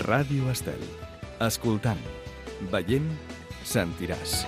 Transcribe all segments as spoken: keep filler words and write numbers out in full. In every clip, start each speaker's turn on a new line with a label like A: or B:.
A: Ràdio Estel. Escoltant, veient, sentiràs.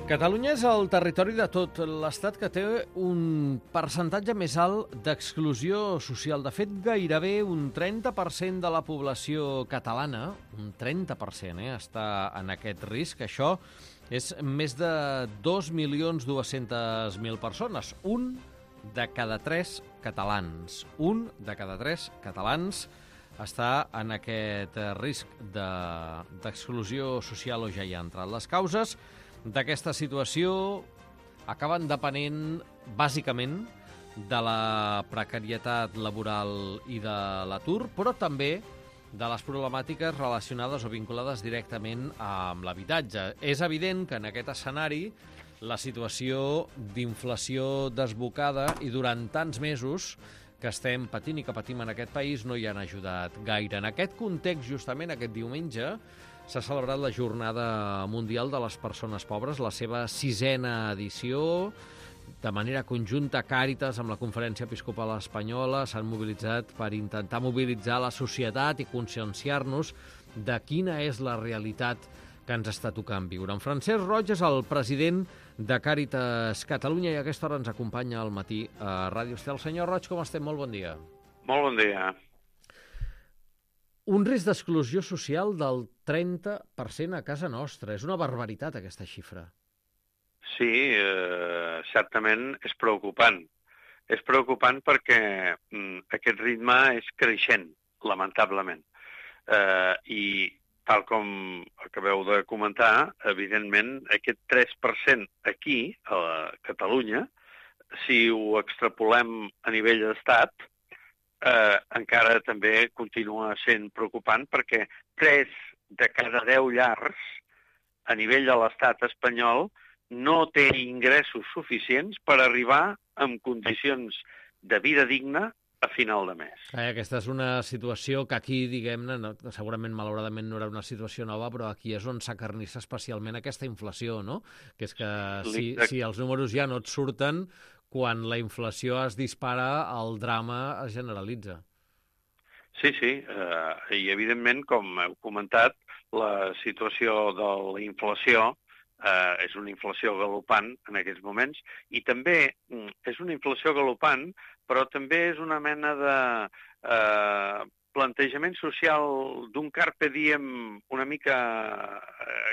B: Catalunya és el territori de tot l'Estat que té un percentatge més alt d'exclusió social. De fet, gairebé un trenta per cent de la població catalana, un trenta per cent, eh, està en aquest risc. Això és més de dos milions dues-centes mil persones. Un de cada tres catalans. Un de cada tres catalans està en aquest risc de, d'exclusió social o ja hi ha entrat. Les causes d'aquesta situació acaben depenent, bàsicament, de la precarietat laboral i de l'atur, però també de les problemàtiques relacionades o vinculades directament amb l'habitatge. És evident que en aquest escenari la situació d'inflació desbocada i durant tants mesos que estem patint i que patim en aquest país no hi han ajudat gaire. En aquest context, justament aquest diumenge, s'ha celebrat la Jornada Mundial de les Persones Pobres, la seva sisena edició. De manera conjunta, Càritas, amb la Conferència Episcopal Espanyola, s'han mobilitzat per intentar mobilitzar la societat i conscienciar-nos de quina és la realitat que ens està tocant viure. En Francesc Roig és el president de Càritas Catalunya i a aquesta hora ens acompanya al matí a Ràdio Estel. Senyor Roig, com estem? Molt bon dia.
C: Molt bon dia.
B: Un risc d'exclusió social del trenta per cent a casa nostra. És una barbaritat, aquesta xifra.
C: Sí, eh, certament és preocupant. És preocupant perquè mm, aquest ritme és creixent, lamentablement. Eh, I tal com acabeu de comentar, evidentment, aquest tres per cent aquí, a Catalunya, si ho extrapolem a nivell d'estat, Eh, encara també continua sent preocupant perquè tres de cada deu llars a nivell de l'estat espanyol no té ingressos suficients per arribar en condicions de vida digna a final de mes.
B: Eh, aquesta és una situació que aquí, diguem-ne, no, segurament malauradament no era una situació nova, però aquí és on s'acarnissa especialment aquesta inflació, no? Que és que si, si els números ja no et surten, quan la inflació es dispara, el drama es generalitza.
C: Sí, sí, eh, i evidentment, com heu comentat, la situació de la inflació eh, és una inflació galopant en aquests moments, i també mm, és una inflació galopant, però també és una mena de eh, plantejament social d'un carpe diem una mica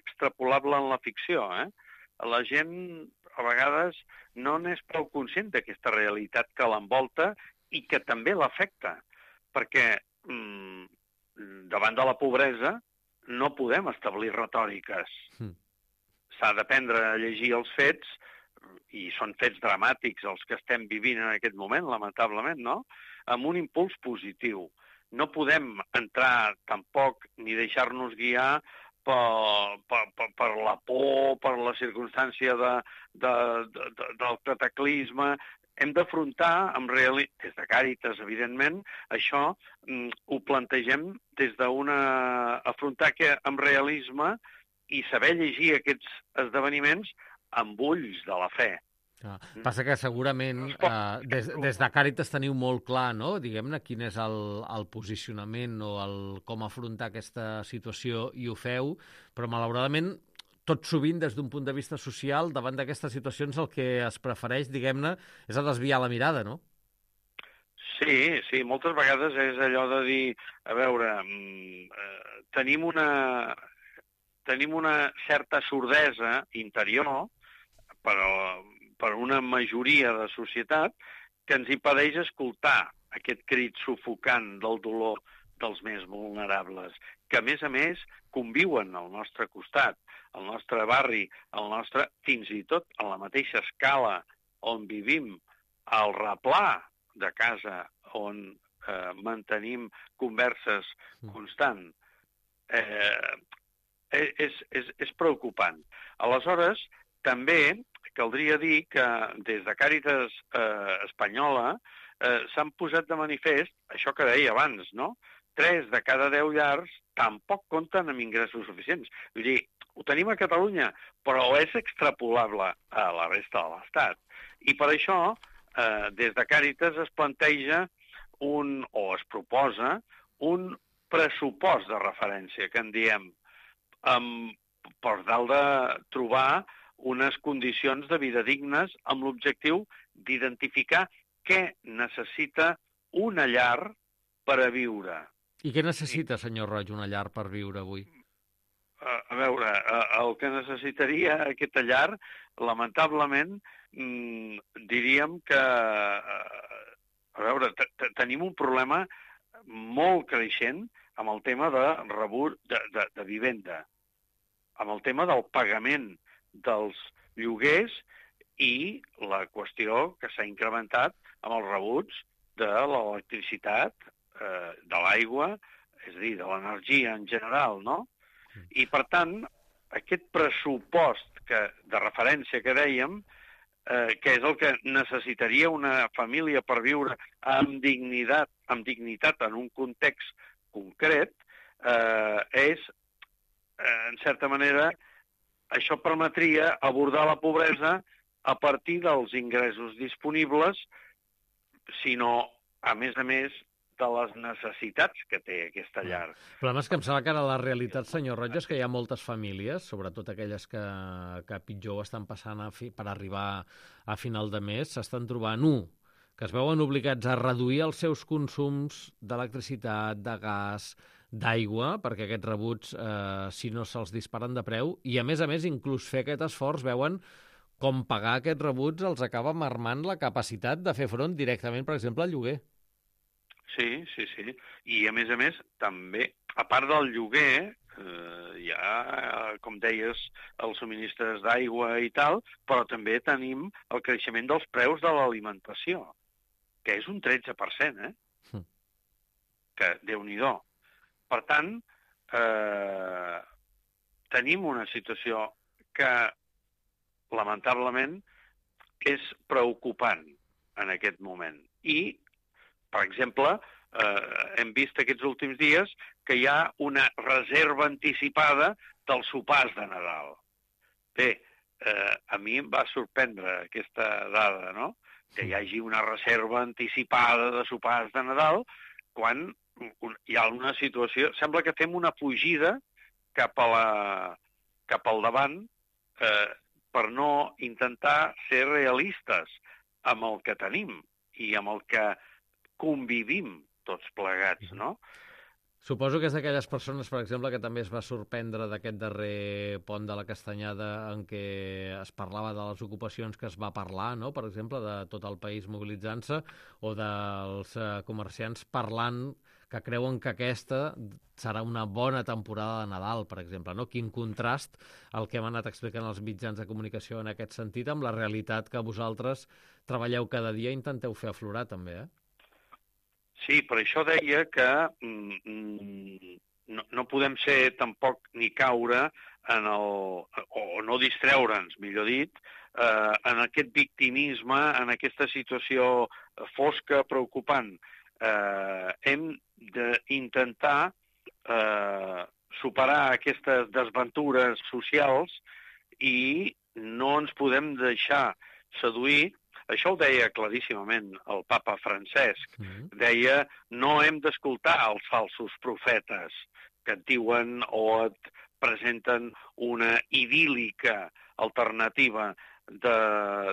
C: extrapolable en la ficció, eh? La gent a vegades no n'és prou conscient d'aquesta realitat que l'envolta i que també l'afecta, perquè mm, davant de la pobresa no podem establir retòriques. Mm. S'ha d'aprendre a llegir els fets, i són fets dramàtics els que estem vivint en aquest moment, lamentablement, no? Amb un impuls positiu. No podem entrar tampoc ni deixar-nos guiar Per, per, per, per la por, per la circumstància de, de, de, de, del cataclisme. Hem d'afrontar, amb reali... des de Càritas, evidentment, això mm, ho plantegem des d'una... afrontar que amb realisme i saber llegir aquests esdeveniments amb ulls de la fe.
B: Ah, passa que segurament eh, des, des de Càritas teniu molt clar, no? Diguem-ne, quin és el, el posicionament o el, com afrontar aquesta situació i ho feu, però malauradament tot sovint des d'un punt de vista social davant d'aquestes situacions el que es prefereix, diguem-ne, és a desviar la mirada, no?
C: Sí, sí, moltes vegades és allò de dir, a veure, eh, tenim una, tenim una certa sordesa interior, però per una majoria de societat que ens impedeix escoltar aquest crit sufocant del dolor dels més vulnerables, que a més a més conviuen al nostre costat, al nostre barri, al nostre, fins i tot a la mateixa escala on vivim, al replà de casa on eh, mantenim converses constant. Eh, és, és, és preocupant. Aleshores, també caldria dir que des de Càritas eh, Espanyola eh, s'han posat de manifest això que deia abans, no? Tres de cada deu llars tampoc compten amb ingressos suficients. Vull dir, ho tenim a Catalunya, però és extrapolable a la resta de l'Estat. I per això, eh, des de Càritas es planteja un, o es proposa un pressupost de referència, que en diem, um, per tal de trobar unes condicions de vida dignes amb l'objectiu d'identificar què necessita una llar per a viure.
B: I què necessita, senyor Roig, una llar per viure avui?
C: A, a veure, el que necessitaria aquesta llar, lamentablement, mmm, diríem que... A veure, tenim un problema molt creixent amb el tema de rebut de, de, de vivenda, amb el tema del pagament dels lloguers i la qüestió que s'ha incrementat amb els rebuts de l'electricitat, eh, de l'aigua, és a dir, de l'energia en general, no? I, per tant, aquest pressupost que, de referència que dèiem, eh, que és el que necessitaria una família per viure amb dignitat, amb dignitat en un context concret, eh, és, eh, en certa manera, això permetria abordar la pobresa a partir dels ingressos disponibles, sinó, a més a més, de les necessitats que té aquesta llar.
B: El problema és que em sembla que ara la realitat, senyor Roig, és que hi ha moltes famílies, sobretot aquelles que, que pitjor ho estan passant a fi, per arribar a final de mes, s'estan trobant, un, que es veuen obligats a reduir els seus consums d'electricitat, de gas, d'aigua, perquè aquests rebuts, eh, si no se'ls disparen de preu, i a més a més, inclús fer aquest esforç, veuen com pagar aquests rebuts els acaba marmant la capacitat de fer front directament, per exemple, al lloguer.
C: Sí, sí, sí. I, a més a més, també, a part del lloguer, eh, hi ha, com deies, els subministres d'aigua i tal, però també tenim el creixement dels preus de l'alimentació, que és un tretze per cent, eh? Mm. Que, Déu-n'hi-do. Per tant, eh, tenim una situació que, lamentablement, és preocupant en aquest moment. I, per exemple, eh, hem vist aquests últims dies que hi ha una reserva anticipada dels sopars de Nadal. Bé, eh, a mi em va sorprendre aquesta dada, no?, que hi hagi una reserva anticipada de sopars de Nadal quan hi ha una situació... Sembla que fem una fugida cap, a la, cap al davant eh, per no intentar ser realistes amb el que tenim i amb el que convivim tots plegats, no?
B: Suposo que és d'aquelles persones, per exemple, que també es va sorprendre d'aquest darrer pont de la Castanyada en què es parlava de les ocupacions que es va parlar, no?, per exemple, de tot el país mobilitzant-se, o dels eh, comerciants parlant que creuen que aquesta serà una bona temporada de Nadal, per exemple, no? Quin contrast el que hem anat explicant els mitjans de comunicació en aquest sentit amb la realitat que vosaltres treballeu cada dia i intenteu fer aflorar, també, eh?
C: Sí, per això deia que mm, no, no podem ser tampoc ni caure en el, o no distreure'ns, millor dit, eh, en aquest victimisme, en aquesta situació fosca, preocupant. Eh, hem d'intentar eh, superar aquestes desventures socials i no ens podem deixar seduir. Això ho deia claríssimament el papa Francesc. Mm-hmm. Deia, no hem d'escoltar els falsos profetes que et diuen o et presenten una idíl·lica alternativa de,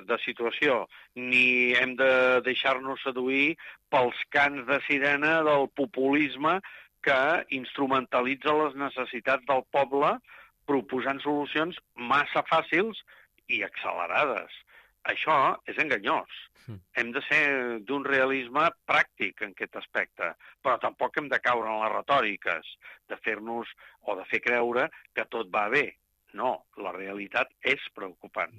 C: de situació, ni hem de deixar-nos seduir pels cants de sirena del populisme que instrumentalitza les necessitats del poble proposant solucions massa fàcils i accelerades. Això és enganyós. Mm. Hem de ser d'un realisme pràctic en aquest aspecte, però tampoc hem de caure en les retòriques, de fer-nos o de fer creure que tot va bé. No, la realitat és preocupant.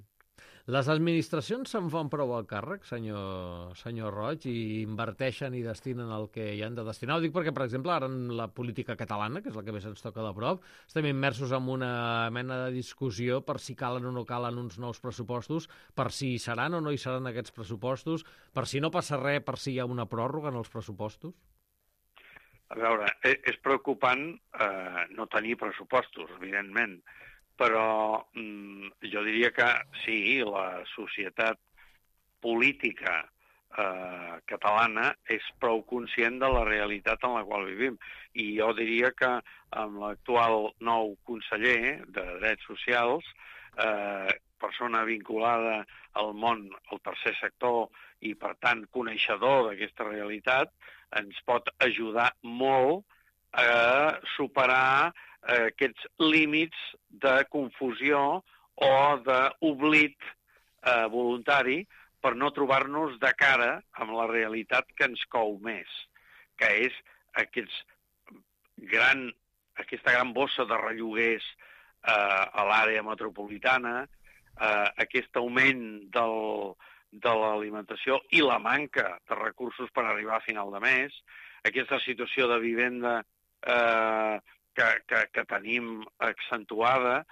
B: Les administracions se'n fan prou al càrrec, senyor, senyor Roig, i inverteixen i destinen el que hi han de destinar? Ho dic perquè, per exemple, ara en la política catalana, que és la que més ens toca de prop, estem immersos en una mena de discussió per si calen o no calen uns nous pressupostos, per si hi seran o no hi seran aquests pressupostos, per si no passa res, per si hi ha una pròrroga en els pressupostos?
C: A veure, és preocupant eh, no tenir pressupostos, evidentment, però mm, jo diria que sí, la societat política eh, catalana és prou conscient de la realitat en la qual vivim. I jo diria que amb l'actual nou conseller de Drets Socials, eh, persona vinculada al món, al tercer sector, i per tant coneixedor d'aquesta realitat, ens pot ajudar molt a superar eh, aquests límits de confusió o d'oblit eh, voluntari per no trobar-nos de cara amb la realitat que ens cou més, que és aquests gran, aquesta gran bossa de relloguers eh, a l'àrea metropolitana, eh, aquest augment del, de l'alimentació i la manca de recursos per arribar a final de mes, aquesta situació de vivenda eh, que, que, que tenim accentuada.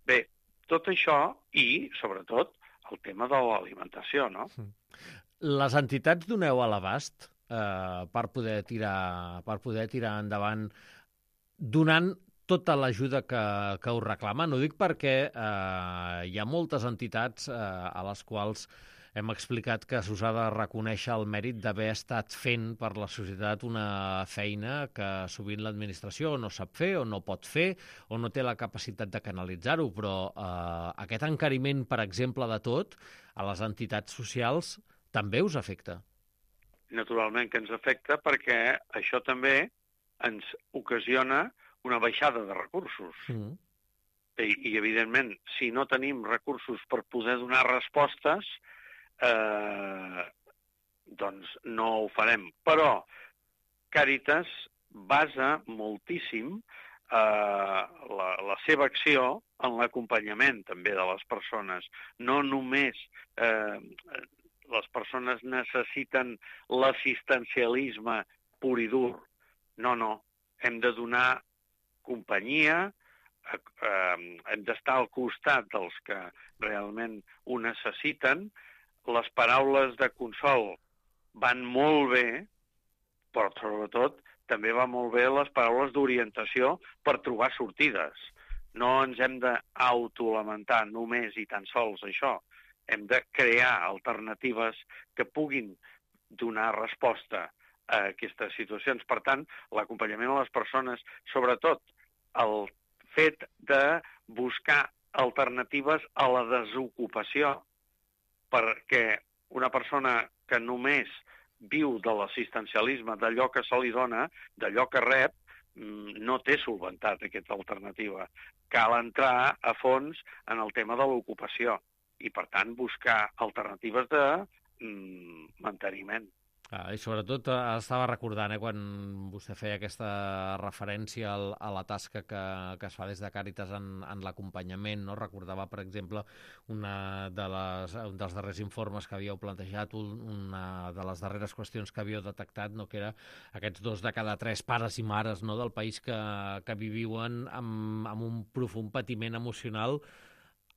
C: Bé, tot això i, sobretot, el tema de l'alimentació, no?
B: Les entitats doneu a l'abast eh, per poder tirar per poder tirar endavant donant tota l'ajuda que, que us reclamen. Ho dic perquè eh, hi ha moltes entitats eh, a les quals hem explicat que s'us ha de reconèixer el mèrit d'haver estat fent per la societat una feina que sovint l'administració no sap fer o no pot fer o no té la capacitat de canalitzar-ho, però eh, aquest encariment, per exemple, de tot, a les entitats socials també us afecta.
C: Naturalment que ens afecta perquè això també ens ocasiona una baixada de recursos. Mm. I, I, evidentment, si no tenim recursos per poder donar respostes, eh, doncs no ho farem. Però Càritas basa moltíssim eh, la, la seva acció en l'acompanyament també de les persones. No només eh, les persones necessiten l'assistencialisme pur i dur. No, no. Hem de donar companyia, eh, eh, hem d'estar al costat dels que realment ho necessiten. Les paraules de consol van molt bé, però sobretot també van molt bé les paraules d'orientació per trobar sortides. No ens hem d'autolamentar només i tan sols això. Hem de crear alternatives que puguin donar resposta a aquestes situacions. Per tant, l'acompanyament a les persones, sobretot el fet de buscar alternatives a la desocupació, perquè una persona que només viu de l'assistencialisme, d'allò que se li dona, d'allò que rep, no té solventat aquesta alternativa. Cal entrar a fons en el tema de l'ocupació i, per tant, buscar alternatives de mm, manteniment.
B: Ah, I sobretot estava recordant, eh, quan vostè feia aquesta referència al, a la tasca que, que es fa des de Càritas en, en l'acompanyament, no? Recordava, per exemple, una de les, un dels darrers informes que havíeu plantejat, una de les darreres qüestions que havíeu detectat, no? Que era aquests dos de cada tres pares i mares, no? Del país que, que viuen amb, amb un profund patiment emocional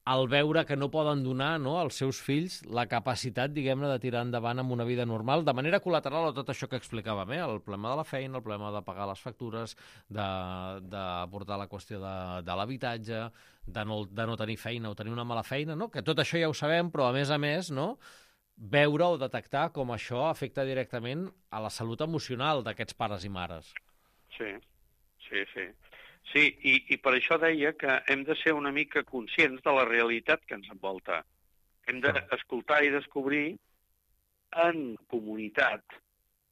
B: al veure que no poden donar, no, als seus fills la capacitat, diguem-ne, de tirar endavant amb una vida normal, de manera col·lateral a tot això que explicàvem, eh? El problema de la feina, el problema de pagar les factures, d'abordar la qüestió de, de l'habitatge, de, no, de no tenir feina o tenir una mala feina, no? Que tot això ja ho sabem, però a més a més, no, veure o detectar com això afecta directament a la salut emocional d'aquests pares i mares.
C: Sí, sí, sí. Sí, i, i per això deia que hem de ser una mica conscients de la realitat que ens envolta. Hem d'escoltar i descobrir en comunitat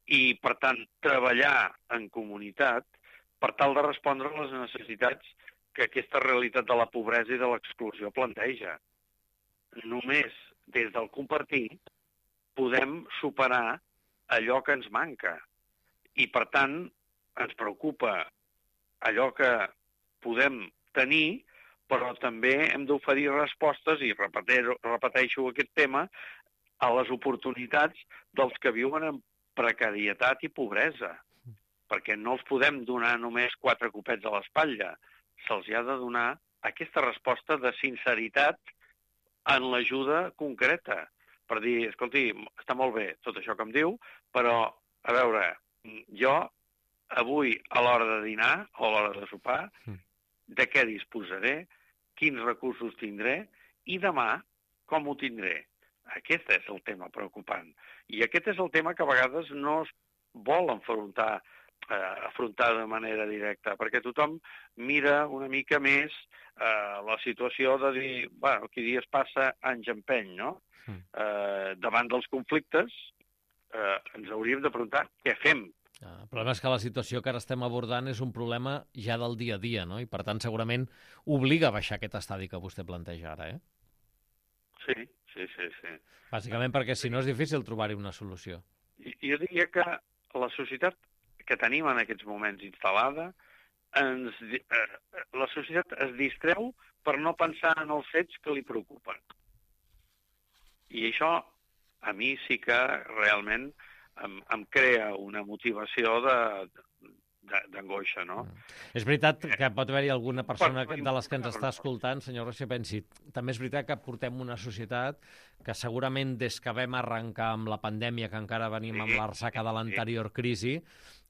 C: i, per tant, treballar en comunitat per tal de respondre a les necessitats que aquesta realitat de la pobresa i de l'exclusió planteja. Només des del compartir podem superar allò que ens manca. I, per tant, ens preocupa allò que podem tenir, però també hem d'oferir respostes, i repeteixo, repeteixo aquest tema, a les oportunitats dels que viuen en precarietat i pobresa, perquè no els podem donar només quatre copets a l'espatlla, se'ls ha de donar aquesta resposta de sinceritat en l'ajuda concreta, per dir, escolti, està molt bé tot això que em diu, però, a veure, jo avui a l'hora de dinar o a l'hora de sopar, de què disposaré, quins recursos tindré i demà com ho tindré. Aquest és el tema preocupant. I aquest és el tema que a vegades no es vol enfrontar, eh, afrontar de manera directa, perquè tothom mira una mica més eh, la situació de dir, bueno, qui dies passa, anys empeny, no? Mm. Eh, davant dels conflictes eh, ens hauríem de preguntar què fem.
B: El problema és que la situació que ara estem abordant és un problema ja del dia a dia, no? I per tant segurament obliga a baixar aquest estadi que vostè planteja ara, eh?
C: Sí, sí, sí, sí.
B: Bàsicament perquè si no és difícil trobar-hi una solució.
C: Jo diria que la societat que tenim en aquests moments instal·lada, ens, eh, la societat es distreu per no pensar en els fets que li preocupen. I això a mi sí que realment em, em crea una motivació de, d'angoixa, no?
B: És veritat que pot haver-hi alguna persona de les que ens està escoltant, senyor Roig, que pensi, també és veritat que portem una societat que segurament des que vam arrencar amb la pandèmia, que encara venim amb la ressaca de l'anterior crisi,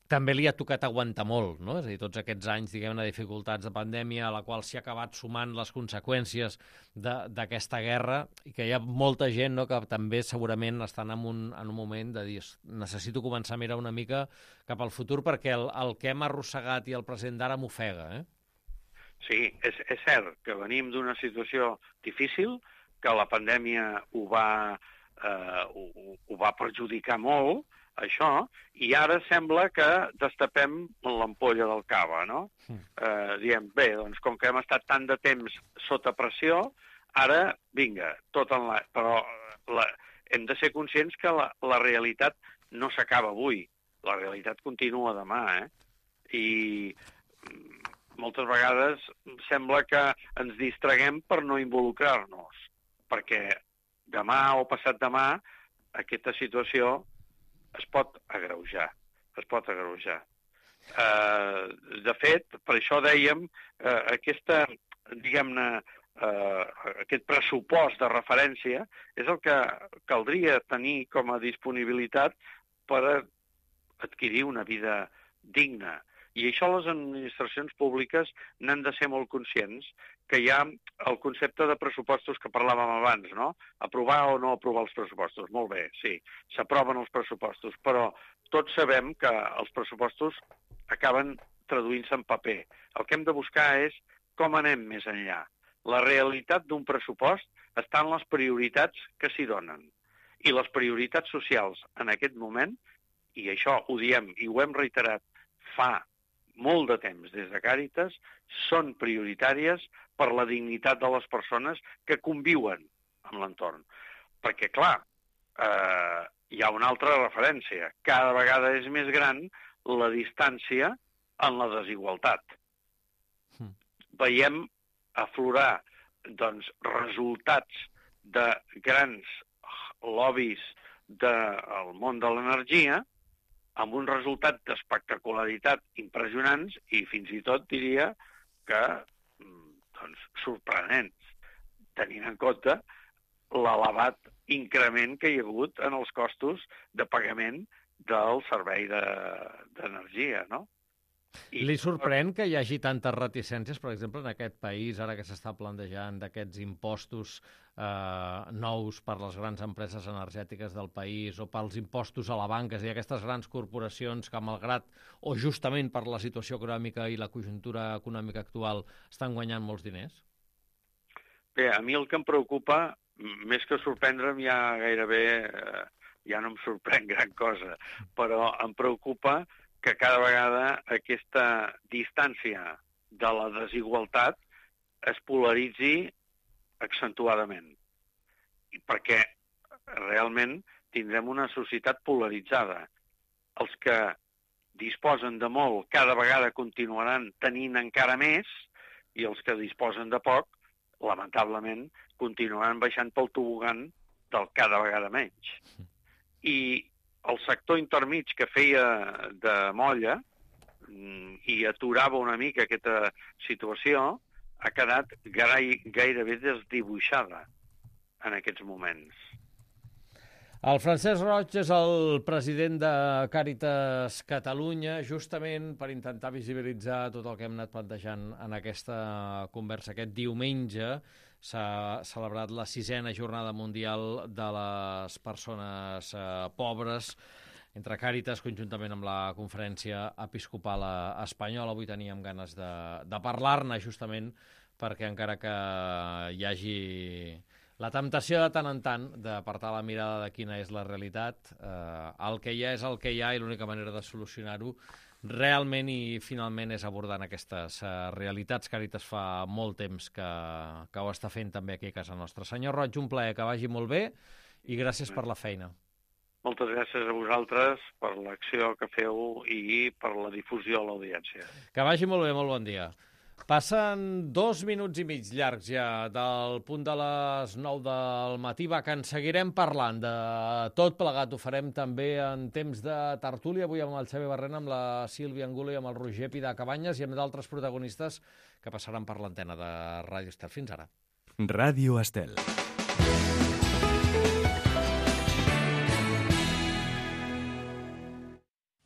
B: també li ha tocat aguantar molt, no? És a dir, tots aquests anys, diguem-ne, de dificultats de pandèmia, a la qual s'hi ha acabat sumant les conseqüències d'aquesta guerra, i que hi ha molta gent, no?, que també segurament estan en un, en un moment de dir necessito començar a mirar una mica cap al futur perquè el, el que hem arrossegat i el present d'ara m'ofega, eh?
C: Sí, és, és cert que venim d'una situació difícil, que la pandèmia ho va, eh, ho, ho va perjudicar molt, això, i ara sembla que destapem l'ampolla del cava, no? Sí. Eh, diem, bé, doncs com que hem estat tant de temps sota pressió, ara, vinga, tot en la... Però la... hem de ser conscients que la, la realitat no s'acaba avui, la realitat continua demà, eh? I moltes vegades sembla que ens distraguem per no involucrar-nos, perquè demà o passat demà aquesta situació es pot agreujar, es pot agreujar. Uh, de fet, per això dèiem, uh, aquesta, diguem-ne, uh, aquest pressupost de referència és el que caldria tenir com a disponibilitat per adquirir una vida digna. I això les administracions públiques n'han de ser molt conscients, que hi ha el concepte de pressupostos que parlàvem abans, no? Aprovar o no aprovar els pressupostos. Molt bé, sí, s'aproven els pressupostos, però tots sabem que els pressupostos acaben traduint-se en paper. El que hem de buscar és com anem més enllà. La realitat d'un pressupost està en les prioritats que s'hi donen. I les prioritats socials en aquest moment, i això ho diem i ho hem reiterat fa molt de temps des de Càritas, són prioritàries per la dignitat de les persones que conviuen amb l'entorn. Perquè, clar, eh, hi ha una altra referència. Cada vegada és més gran la distància en la desigualtat. Mm. Veiem aflorar doncs, resultats de grans lobbies del món de l'energia amb un resultat d'espectacularitat impressionants i fins i tot diria que doncs, sorprenents, tenint en compte l'elevat increment que hi ha hagut en els costos de pagament del servei d'energia, no?
B: I... Li sorprèn que hi hagi tantes reticències, per exemple, en aquest país, ara que s'està plantejant d'aquests impostos eh, nous per les grans empreses energètiques del país o pels impostos a la banca, és a dir, aquestes grans corporacions que, malgrat o justament per la situació econòmica i la conjuntura econòmica actual, estan guanyant molts diners?
C: Bé, a mi el que em preocupa, més que sorprendre'm, ja gairebé eh, ja no em sorprèn gran cosa, però em preocupa que cada vegada aquesta distància de la desigualtat es polaritzi accentuadament. I perquè realment tindrem una societat polaritzada. Els que disposen de molt cada vegada continuaran tenint encara més i els que disposen de poc, lamentablement, continuaran baixant pel tobogan del cada vegada menys. I el sector intermig que feia de molla i aturava una mica aquesta situació ha quedat gairebé desdibuixada en aquests moments.
B: El Francesc Roig és el president de Càritas Catalunya, justament per intentar visibilitzar tot el que hem anat plantejant en aquesta conversa. Aquest diumenge s'ha celebrat la sisena jornada mundial de les persones eh, pobres, entre Càritas, conjuntament amb la Conferència Episcopal Espanyola. Avui teníem ganes de, de parlar-ne, justament perquè encara que hi hagi la temptació de tant en tant d'apartar la mirada de quina és la realitat, eh, el que hi ha és el que hi ha i l'única manera de solucionar-ho realment i finalment és abordant aquestes eh, realitats. Càritas fa molt temps que, que ho està fent també aquí a casa nostra. Senyor Roig, un plaer, que vagi molt bé i gràcies per la feina.
C: Moltes gràcies a vosaltres per l'acció que feu i per la difusió a l'audiència.
B: Que vagi molt bé, molt bon dia. Passen dos minuts i mig llargs ja del punt de les nou del matí. Va, que en seguirem parlant de tot plegat. Ho farem també en temps de tertúlia, avui amb el Xavi Barrena, amb la Sílvia Angulo i amb el Roger Pidacabanyes i amb d'altres protagonistes que passaran per l'antena de Ràdio Estel. Fins ara.
A: Ràdio Estel.